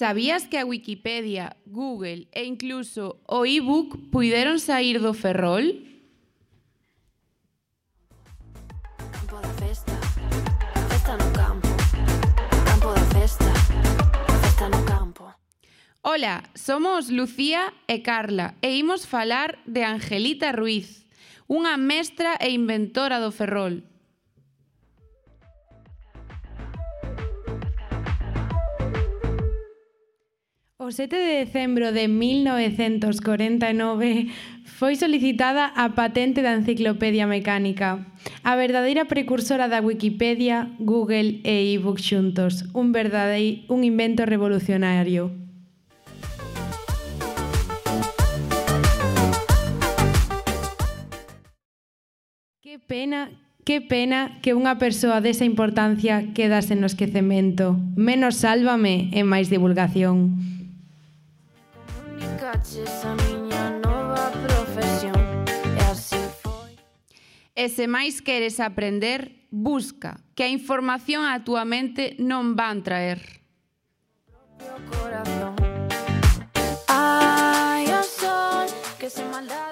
Sabías que a Wikipedia, Google e incluso o e-book puideron saír do Ferrol? Campo da festa, festa no campo. Campo da festa, festa no campo. Ola, somos Lucía e Carla e imos falar de Angelita Ruiz, unha mestra e inventora do Ferrol. O 7 de decembro de 1949 foi solicitada a patente da enciclopedia mecánica, a verdadeira precursora da Wikipedia, Google e e-book xuntos, un invento revolucionario. Que pena que unha persoa desa importancia quedase no esquecemento. Menos Sálvame e máis divulgación. Esa miña nova profesión e así foi. E se máis queres aprender, busca, que a información á túa mente non van traer. Propio corazón. Ai, o sol que se maldade.